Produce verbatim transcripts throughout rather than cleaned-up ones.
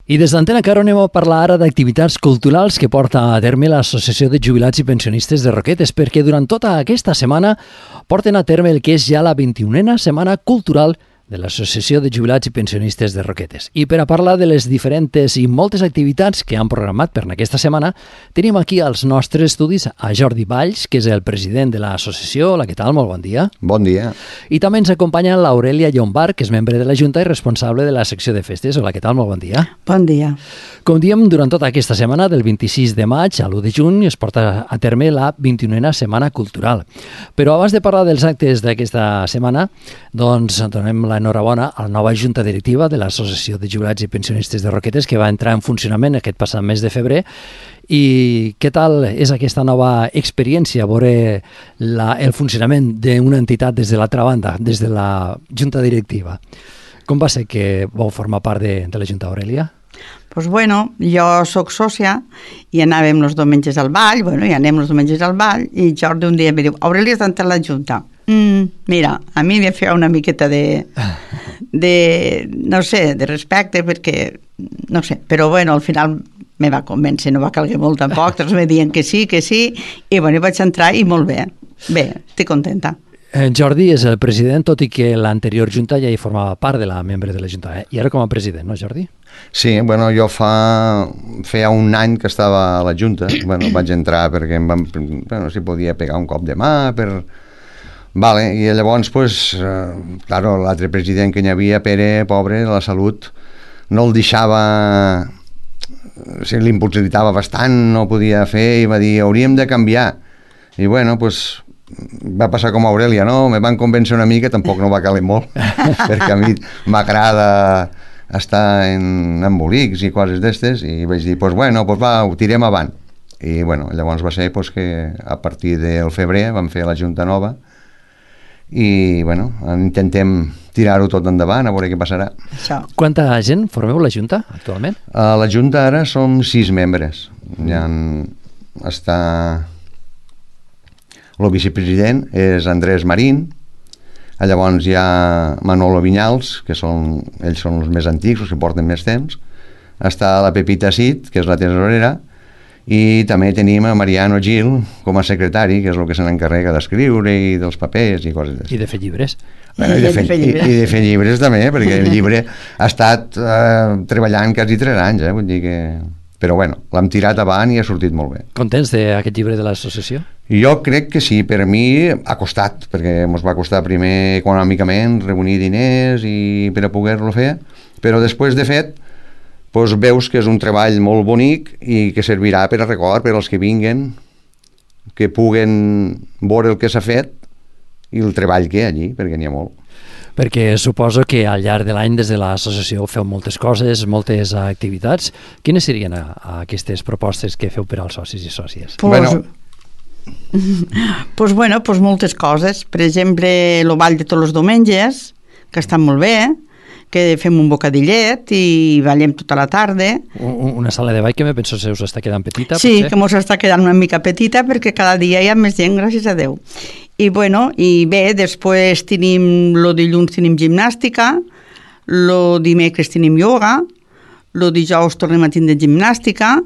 I des d'Antena Caro anem a parlar ara d'activitats culturals que porta a terme l'Associació de Jubilats i Pensionistes de Roquetes, perquè durant tota aquesta setmana porten a terme el que és ja la vint-i-unena Setmana Cultural de l'Associació de Jubilats i Pensionistes de Roquetes. I per a parlar de les diferents i moltes activitats que han programat per aquesta setmana, tenim aquí als nostres estudis a Jordi Valls, que és el president de l'associació. Hola, què tal? Molt bon dia. Bon dia. I també ens acompanya l'Aurelia Llombart, que és membre de la Junta i responsable de la secció de festes. Hola, què tal? Molt bon dia. Bon dia. Com diem, durant tota aquesta setmana, del vint-i-sis de maig a l'u de juny, es porta a terme la vint-i-unena Setmana Cultural. Però abans de parlar dels actes d'aquesta setmana, doncs donem l'enhorabona a la nova Junta Directiva de l'Associació de Jubilats i Pensionistes de Roquetes, que va entrar en funcionament aquest passat mes de febrer. I què tal és aquesta nova experiència, veure la, el funcionament d'una entitat des de l'altra banda, des de la Junta Directiva? Com va ser que vau formar part de, de la Junta, Aurelia? Pues bueno, jo sóc sòcia i anàvem els diumenges al ball, bueno, i anem els diumenges al ball, i Jordi un dia em diu, Aurelia, has d'entrar a la Junta. Mm, mira, a mi em feia una miqueta de, de, no sé, de respecte, perquè, no sé, però bueno, al final me va convèncer, no va calguer molt tampoc, tots me diuen que sí, que sí, i bueno, vaig entrar i molt bé, bé, estic contenta. Jordi és el president, tot i que l'anterior Junta ja hi formava part de la membre de la Junta, eh? I ara com a president, no, Jordi? Sí, bueno, jo fa... feia un any que estava a la Junta, bueno, vaig entrar perquè em van... bueno, si podia pegar un cop de mà, per... Vale, i llavors, pues, eh, claro, l'altre president que hi havia, Pere, pobre, de la salut, no el deixava... O sigui, l'impossibilitava bastant, no podia fer, i va dir, hauríem de canviar. I bueno, pues... va passar com a Aurelia, no? Me van convèncer una mica, tampoc no va caler molt, perquè a mi m'agrada estar en embolics i coses d'estes, i vaig dir, pues bueno, pues va, ho tirem avant. I bueno, llavors va ser pues, que a partir del febrer vam fer la Junta nova i bueno, intentem tirar-ho tot endavant, a veure què passarà. Això. Quanta gent formeu la Junta actualment? A la Junta ara som sis membres. Hi ha, està... El vicepresident és Andrés Marín, llavors hi ha Manolo Vinyals, que són, ells són els més antics, els que porten més temps, està la Pepita Cid, que és la tesorera, i també tenim a Mariano Gil com a secretari, que és el que se n'encarrega d'escriure i dels papers i coses d'això. I de fer llibres. Bueno, i, de fer, i, I de fer llibres també, perquè el llibre ha estat eh, treballant quasi tres anys, eh, vull dir que... Però bueno, l'hem tirat avant i ha sortit molt bé. Contents d'aquest llibre de l'associació? Jo crec que sí, per mi ha costat, perquè ens va costar primer econòmicament reunir diners i per a poder-lo fer, però després de fet doncs veus que és un treball molt bonic i que servirà per a record per als que vinguen, que puguen veure el que s'ha fet i el treball que hi ha allí, perquè n'hi ha molt. Perquè suposo que al llarg de l'any des de l'associació feu moltes coses, moltes activitats. Quines serien a, a aquestes propostes que feu per als socis i sòcies? Pues, bueno, pues, bueno, pues moltes coses. Per exemple, el ball de tots els diumenges, que està molt bé, que fem un bocadillet i ballem tota la tarda. Una sala de ball que me penso se us està quedant petita? Sí, potser? Que mos està quedant una mica petita perquè cada dia hi ha més gent, gràcies a Déu. I bueno, i bé, després tenim, el dilluns tenim gimnàstica, el dimecres tenim ioga, el dijous tornem a tindre gimnàstica,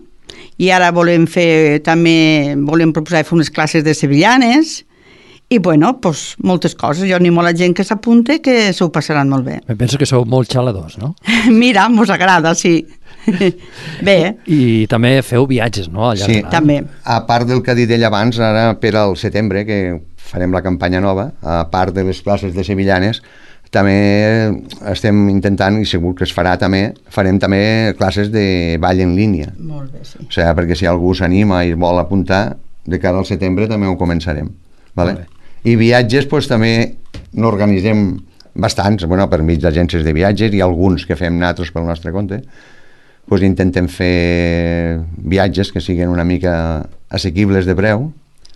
i ara volem fer també, volem proposar fer unes classes de sevillanes, i bueno, pues, moltes coses. Jo animo a la gent que s'apunte que s'ho passaran molt bé. Me penso que sou molt xaladors, no? Mira, mos agrada, sí. Bé. I també feu viatges, no? Al llarg sí, de l'any. també. A part del que ha dit ell abans, ara per al setembre, que farem la campanya nova, a part de les classes de sevillanes, també estem intentant, i segur que es farà també, farem també classes de ball en línia. Molt bé, sí. O sigui, perquè si algú s'anima i vol apuntar, de cara al setembre també ho començarem. Vale? I viatges, doncs, també n'organitzem bastants, bueno, per mig d'agències de viatges i alguns que fem nosaltres pel nostre compte. Doncs intentem fer viatges que siguin una mica assequibles de preu,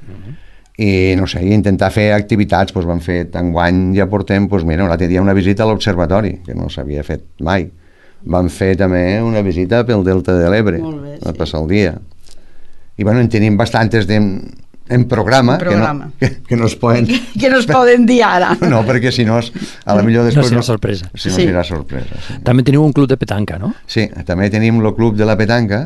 uh-huh. I no sé, intentar fer activitats. Doncs vam fer, enguany ja portem, doncs mira, l'altre dia una visita a l'observatori, que no s'havia fet mai. Vam fer també una visita pel Delta de l'Ebre, bé, sí. a passar el dia. I bueno, en tenim bastantes de... en programa, en programa. Que, no, que, que no es poden... que no es poden dir ara. No, perquè si no, a la millor després... No serà sorpresa. Si no Sí. serà sorpresa. Sí. També teniu un club de petanca, no? Sí, també tenim el Club de la Petanca,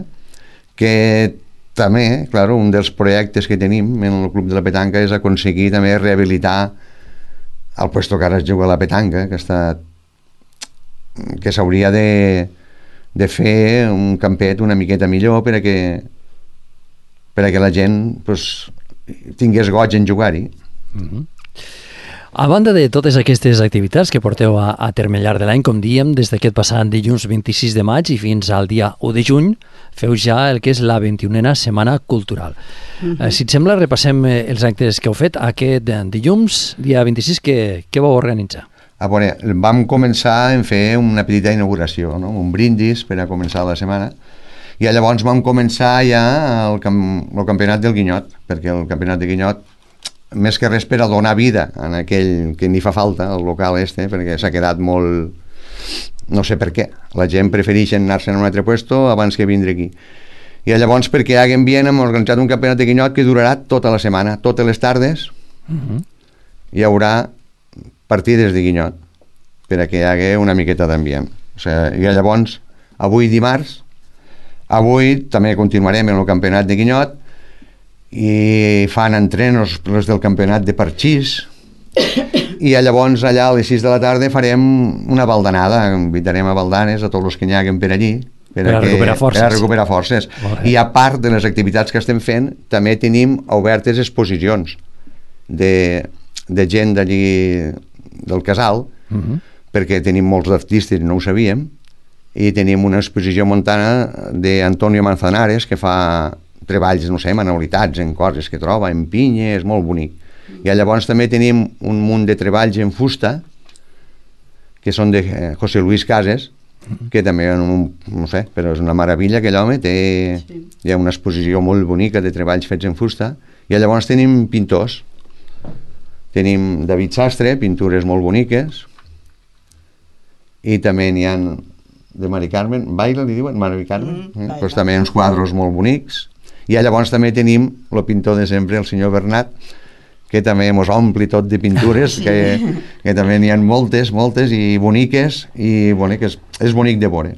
que també, clar, un dels projectes que tenim en el Club de la Petanca és aconseguir també rehabilitar el puesto que ara es juga a la petanca, que està que s'hauria de, de fer un campet una miqueta millor per a que per a que la gent pues, tingués goig en jugar-hi. Mm-hmm. A banda de totes aquestes activitats que porteu a, a terme al llarg de l'any, com diem, des d'aquest passat dilluns vint-i-sis de maig i fins al dia u de juny, feu ja el que és la vint-i-unena Setmana Cultural. Mm-hmm. eh, si et sembla, repassem eh, els actes que heu fet aquest eh, dilluns, dia vint-i-sis, que, que vau organitzar. A veure, vam començar en fer una petita inauguració, no? Un brindis per a començar la setmana, i llavors vam començar ja el, camp, el campionat del Guinyot, perquè el campionat de Guinyot, més que res per a donar vida en aquell que ni fa falta, el local este, perquè s'ha quedat molt... no sé per què. La gent prefereix anar-se en un altre puesto abans que vindre aquí. I llavors, perquè hi hagi ambient, hem organitzat un campionat de Guinyot que durarà tota la setmana, totes les tardes, uh-huh. Hi haurà partides de Guinyot, per a que hi hagi una miqueta d'ambient. O sigui, i llavors, avui dimarts, avui també continuarem en el campionat de Guinyot, i fan entrenos els del campionat de parxís, i llavors allà a les sis de la tarda farem una baldanada, invitarem a baldanes a tots els que n'hi haguen per allí per, per a, que, recuperar forces, per a recuperar forces. I a part de les activitats que estem fent també tenim obertes exposicions de, de gent d'allí del casal, uh-huh. perquè tenim molts artistes i no ho sabíem, i tenim una exposició montana d'Antonio Manzanares que fa treballs, no sé, manualitats en coses que troba, en pinya, és molt bonic. I llavors també tenim un munt de treballs en fusta que són de José Luis Cases, que també, no sé, però és una meravella que l'home té, sí. Hi ha una exposició molt bonica de treballs fets en fusta, i llavors tenim pintors, tenim David Sastre, pintures molt boniques, i també n'hi ha de Mari Carmen, Baila li diuen, Mari Carmen, mm, eh? Pues també uns quadros molt bonics. I llavors també tenim el pintor de sempre, el senyor Bernat, que també mos ompli tot de pintures, sí. que, que també n'hi ha moltes, moltes i boniques, i boniques, és bonic de veure.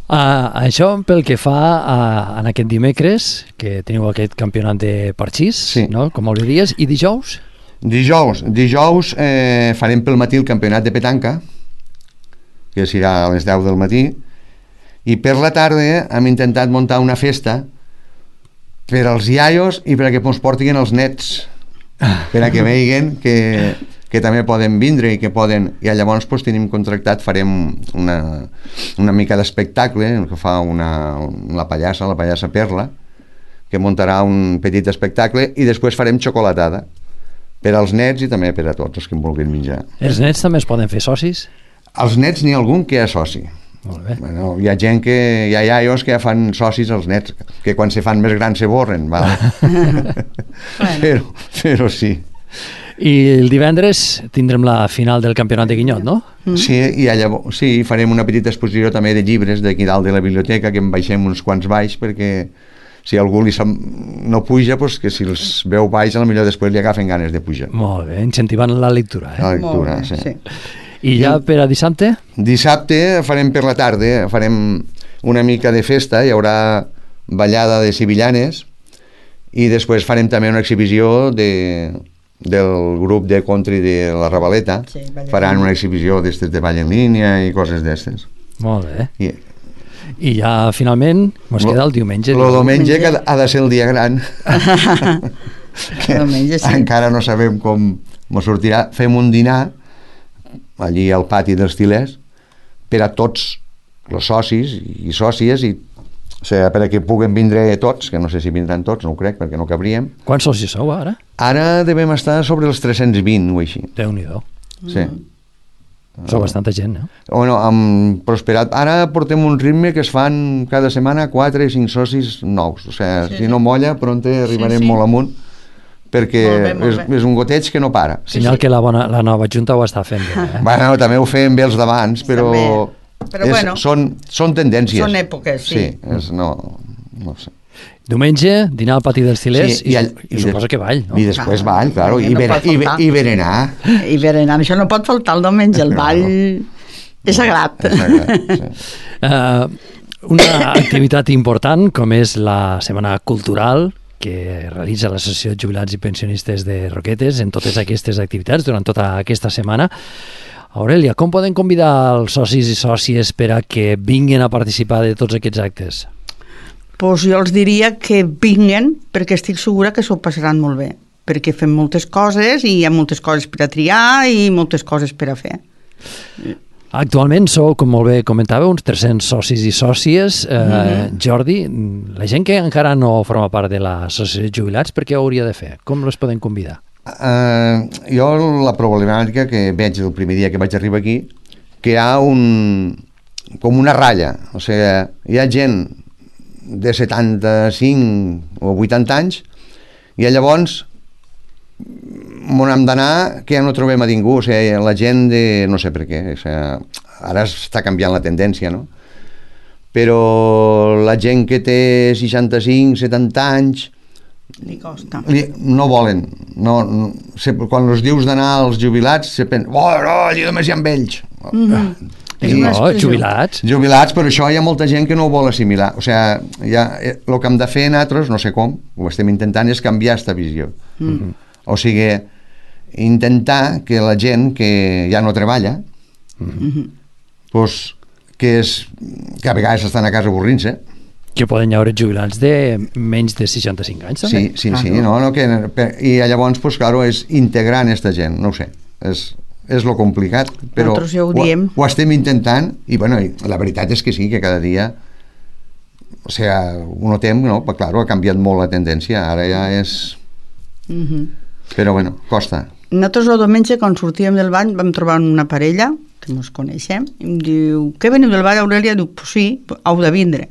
Uh, això pel que fa a, a aquest dimecres, que teniu aquest campionat de parxís, sí. No? Com ho diries, i dijous? Dijous, dijous eh, farem pel matí el campionat de petanca, que serà a les deu del matí, i per la tarda hem intentat muntar una festa per als iaios i per a que ens portin els nets, per a que veiguen que, que també poden vindre i que poden... I llavors pues, tenim contractat, farem una, una mica d'espectacle que fa una, la pallassa, la pallassa Perla, que muntarà un petit espectacle, i després farem xocolatada per als nets i també per a tots els que en vulguin menjar. Els nets també es poden fer socis? Els nets n'hi ha algun que és soci. Molt bé. Bueno, hi ha gent que, hi ha iaios que ja fan socis als nets, que quan se fan més grans se borren, val? però, però sí. I el divendres tindrem la final del campionat de Guinyot, no? Sí, i llavors, sí, farem una petita exposició també de llibres d'aquí dalt de la biblioteca, que en baixem uns quants baix, perquè si algú li no puja, pues que si els veu baix, potser després li agafen ganes de pujar. Molt bé, incentivant la lectura. Eh? La lectura, bé, sí. sí. I ja per a dissabte? Dissabte farem per la tarda, farem una mica de festa, hi haurà ballada de sevillanes, i després farem també una exhibició de, del grup de country de la Ravaleta, sí, faran una exhibició d'estes de ball en línia i coses d'estes. Molt bé. I, I ja finalment ens queda el diumenge. El diumenge que ha de ser el dia gran. que diumenge, sí. Encara no sabem com ens sortirà. Fem un dinar allí al pati dels Tilers per a tots els socis i sòcies, i, o sigui, per a que puguen vindre tots, que no sé si vindran tots, no ho crec, perquè no cabríem. Quants socis sou ara? Ara devem estar sobre els tres-cents vint o així. Déu-n'hi-do. Sí. Mm. Sou bastanta gent, no? Bueno, hem prosperat. Ara portem un ritme que es fan cada setmana quatre o cinc socis nous. O sigui, sí. Si no molla, pronte arribarem sí, sí. molt amunt, perquè molt bé, molt és, és un goteig que no para. Senyal sí, sí. que la, bona, la nova Junta ho està fent bé. Eh? Bueno, també ho fem bé els d'abans, però, però és, bueno, són, són tendències. Són èpoques, sí. Sí, és, no, no sé. Diumenge, dinar al pati dels Til·lers Sí, i, i all- i, i suposo de- que ball, no? I després Ah, ball, claro, no i, bere, pot i, be- faltar. i berenar. I berenar, això no pot faltar el diumenge, el ball és sagrat. És sagrat, sí. Uh, una activitat important com és la Setmana Cultural que realitza l'Associació de Jubilats i Pensionistes de Roquetes en totes aquestes activitats durant tota aquesta setmana. Aurelia, com poden convidar els socis i sòcies per a que vinguin a participar de tots aquests actes? Pues jo els diria que vinguen perquè estic segura que s'ho passaran molt bé, perquè fem moltes coses i hi ha moltes coses per a triar i moltes coses per a fer. Actualment sou, com molt bé comentava, uns tres-cents socis i sòcies. Eh, mm-hmm. Jordi, la gent que encara no forma part de l'Associació de Jubilats, per què ho hauria de fer? Com les poden convidar? Uh, jo la problemàtica que veig el primer dia que vaig arribar aquí, que hi ha un, com una ratlla, o sigui, hi ha gent de setanta-cinc o vuitanta anys i llavors on hem d'anar que ja no trobem a ningú, o sigui, la gent de... no sé per què, o sigui, ara està canviant la tendència, no? Però la gent que té seixanta-cinc, setanta anys Li costa. li, no volen no, no, se, quan els dius d'anar als jubilats se pensa, oh no, allà només hi ha vells. Mm-hmm. És No, una expressió. jubilats. Jubilats, però això hi ha molta gent que no ho vol assimilar, o sigui, ja, el que hem de fer nosaltres, no sé com, ho estem intentant, és canviar aquesta visió. Mm. O sigui, intentar que la gent que ja no treballa, Mm-hmm. pues, que, és, que a vegades estan a casa avorrint-se, Que poden haver jubilats de menys de seixanta-cinc anys, també? sí, sí, sí, no, no, que, per, i llavors, pues, claro, és integrar en aquesta gent, no ho sé, és, és lo complicat, però Nosaltres ja ho diem. ho estem intentant, i bueno, i la veritat és que sí, que cada dia, o sea, un temps, no, però claro, ha canviat molt la tendència, ara ja és... Mm-hmm. Però bueno, costa. Nosaltres el diumenge, quan sortíem del bany, vam trobar una parella, que ens coneixem, i em diu, què veniu del ball, Aurelia? Diu, pues sí, heu de vindre.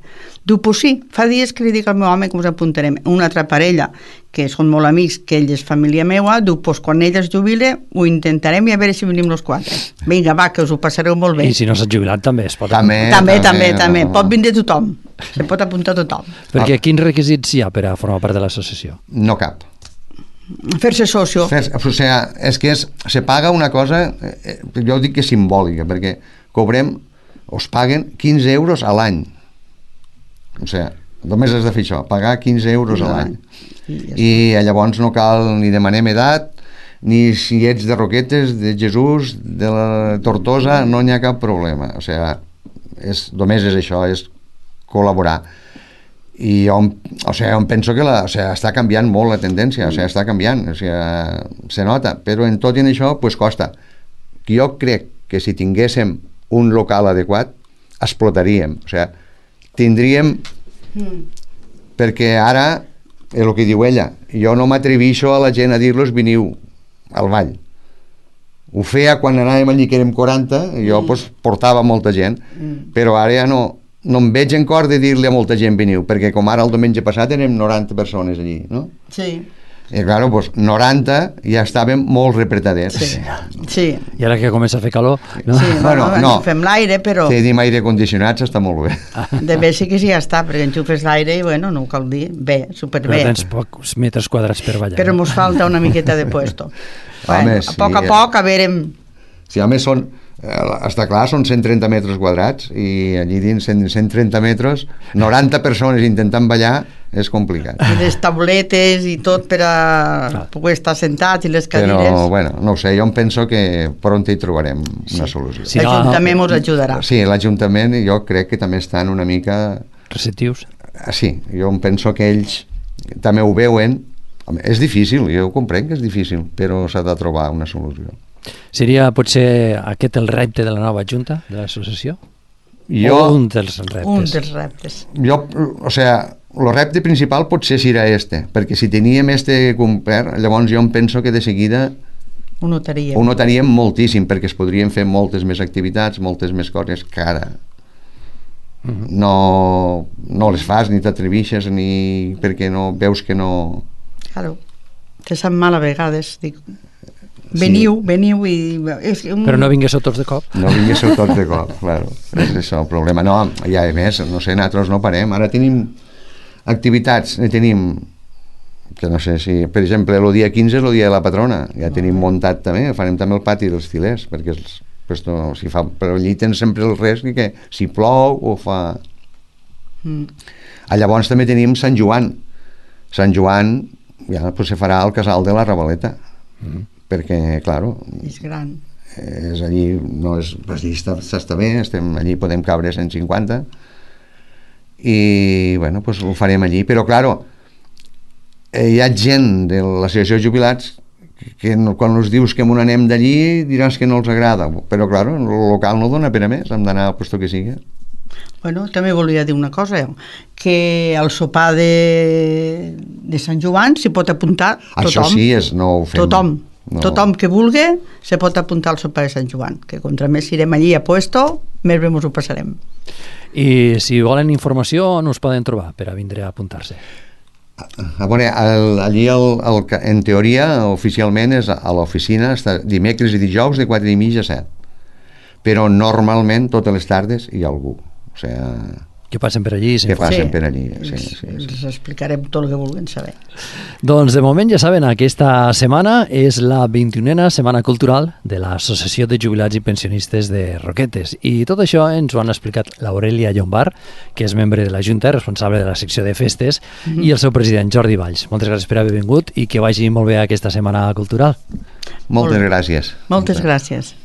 Diu, pues sí, fa dies que li dic al meu home que us apuntarem. Una altra parella, que són molt amics, que ell és família meua, diu, pues quan ell es jubile, ho intentarem i a veure si venim els quatre. Vinga, va, que us ho passareu molt bé. I si no s'ha jubilat també es pot... També, També, també, també. no, no. Pot vindre tothom. Se pot apuntar tothom. Perquè quins requisits hi ha per a formar part de l'associació? No cap. Fer-se socio. Fer, o sigui, és que és, se paga una cosa, eh, jo dic que és simbòlica, perquè cobrem, us paguen quinze euros a l'any. O sigui, només has de fer això, pagar quinze euros a l'any. I llavors no cal ni demanem edat, ni si ets de Roquetes, de Jesús, de la Tortosa, no n'hi ha cap problema. O sigui, és, només és això, és col·laborar. I jo, o sigui, em penso que la, o sigui, està canviant molt la tendència, o sigui, està canviant, o sigui, se nota, però en tot i en això pues, costa. Jo crec que si tinguéssim un local adequat explotaríem, o sigui, tindríem mm. perquè ara és el que diu ella, jo no m'atrevixo a la gent a dir-los veniu al ball. Ho feia quan anàvem allí que érem quaranta, i jo mm. pues, portava molta gent, mm. però ara ja no no em veig en cor de dir-li a molta gent veniu, perquè com ara el diumenge passat érem noranta persones allí, no? Sí. I clar, pues, noranta ja estàvem molt repretadets. Sí. Sí. I ara que comença a fer calor... No? Sí, Bueno, bueno, no. fem l'aire, però Tenim aire condicionat, està molt bé. de bé sí que sí ja està, perquè enxufes l'aire i bueno, no ho cal dir, bé, Però superbé. tens pocs metres quadrats per ballar. Però mos falta una miqueta de puesto. Home, Bueno, a sí, poc a eh. poc, a veure... Si a més són, eh, està clar, són cent trenta metres quadrats i allí dins cent, cent trenta metres, noranta persones intentant ballar és complicat. I les tauletes i tot per a poder estar sentats i les cadires. Però, bueno, no ho sé, jo em penso que pront hi trobarem una solució. Sí. L'Ajuntament ens ajudarà. Sí, l'Ajuntament jo crec que també estan una mica... Receptius. Ah, sí, jo em penso que ells també ho veuen. Home, és difícil, jo ho comprenc que és difícil, però s'ha de trobar una solució. Seria potser aquest el repte de la nova junta de l'associació? Jo, O un dels reptes? Un dels reptes. jo, o sea, el repte principal potser serà este, perquè si teníem este complert, llavors jo em penso que de seguida Ho notaríem. ho notaríem moltíssim, perquè es podrien fer moltes més activitats, moltes més coses que ara Mhm. no, no les fas, ni t'atrevixes, ni perquè no veus que no... Claro. Te sap mal a vegades, dic. Veniu, veniu i... És un... Però no vinguéssiu tots de cop? No vinguéssiu tots de cop, claro. És això el problema. No, i a més, no sé, nosaltres no parem. Ara tenim... Activitats, ne tenim, que no sé si... Per exemple, el dia quinze és el dia de la patrona, ja tenim muntat també, farem també el pati dels tilers, perquè els, pues, no, si fa, però allí tens sempre el risc que si plou o fa... Mm. A llavors també tenim Sant Joan. Sant Joan ja pues, se farà al casal de la Ravaleta, mm. perquè, claro... És gran. És allí, no és, pues, allí està, està bé, estem, allí podem cabre cent cinquanta, i, bueno, pues ho farem allí, però, claro, hi ha gent de l'associació de jubilats que no, quan els dius que m'on anem d'allí diràs que no els agrada, però, claro, el local no dona per a més, hem d'anar al lloc que sigui. Bueno, també volia dir una cosa, que al sopar de, de Sant Joan s'hi pot apuntar tothom. Això sí, és, no ho fem. Tothom, no. Tothom que vulgui se pot apuntar al sopar de Sant Joan, que contra més irem allí a puesto, més bé ens ho passarem. I si volen informació, on us poden trobar per a vindre a apuntar-se? A veure, el, allí el, el, en teoria oficialment és a l'oficina, està dimecres i dijous de quatre i mitja a set, però normalment totes les tardes hi ha algú, o sigui, que passen per allí, que passen sí, per allí, sí, els, sí, sí. els explicarem tot el que vulguin saber. Doncs de moment ja saben, aquesta setmana és la vint-i-unena Setmana Cultural de l'Associació de Jubilats i Pensionistes de Roquetes, i tot això ens ho han explicat l'Aurelia Llombar, que és membre de la Junta, responsable de la secció de festes, mm-hmm. i el seu president Jordi Valls. Moltes gràcies per haver vingut i que vagi molt bé aquesta Setmana Cultural. Moltes gràcies. Moltes gràcies.